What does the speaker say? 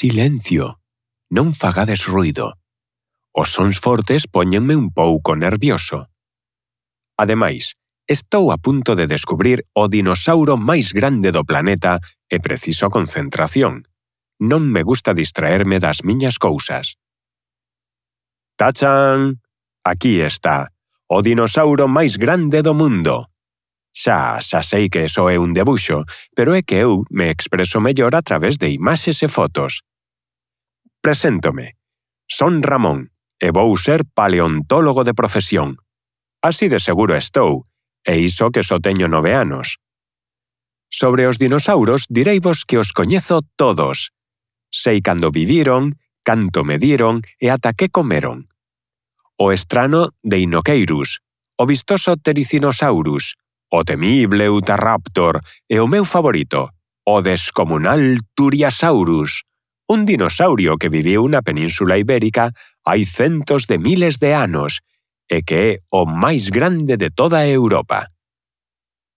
Silencio. Non fagades ruido. Os sons fortes póñenme un pouco nervioso. Ademais, estou a punto de descubrir o dinosauro máis grande do planeta e preciso concentración. Non me gusta distraerme das miñas cousas. ¡Tachan! Aquí está, o dinosauro máis grande do mundo. Xa sei que só é un debuxo, pero é que eu me expreso mellor a través de imaxes e fotos. Preséntome. Son Ramón e vou ser paleontólogo de profesión. Así de seguro estou, e iso que só teño 9 anos. Sobre os dinosauros direivos que os coñezo todos. Sei cando viviron, canto mediron e ata que comeron. O estrano Deinocheirus, o vistoso Ptericinosaurus, o temible Utahraptor e o meu favorito, o descomunal Turiasaurus, un dinosaurio que viviu na Península Ibérica hai centos de miles de anos e que é o máis grande de toda Europa.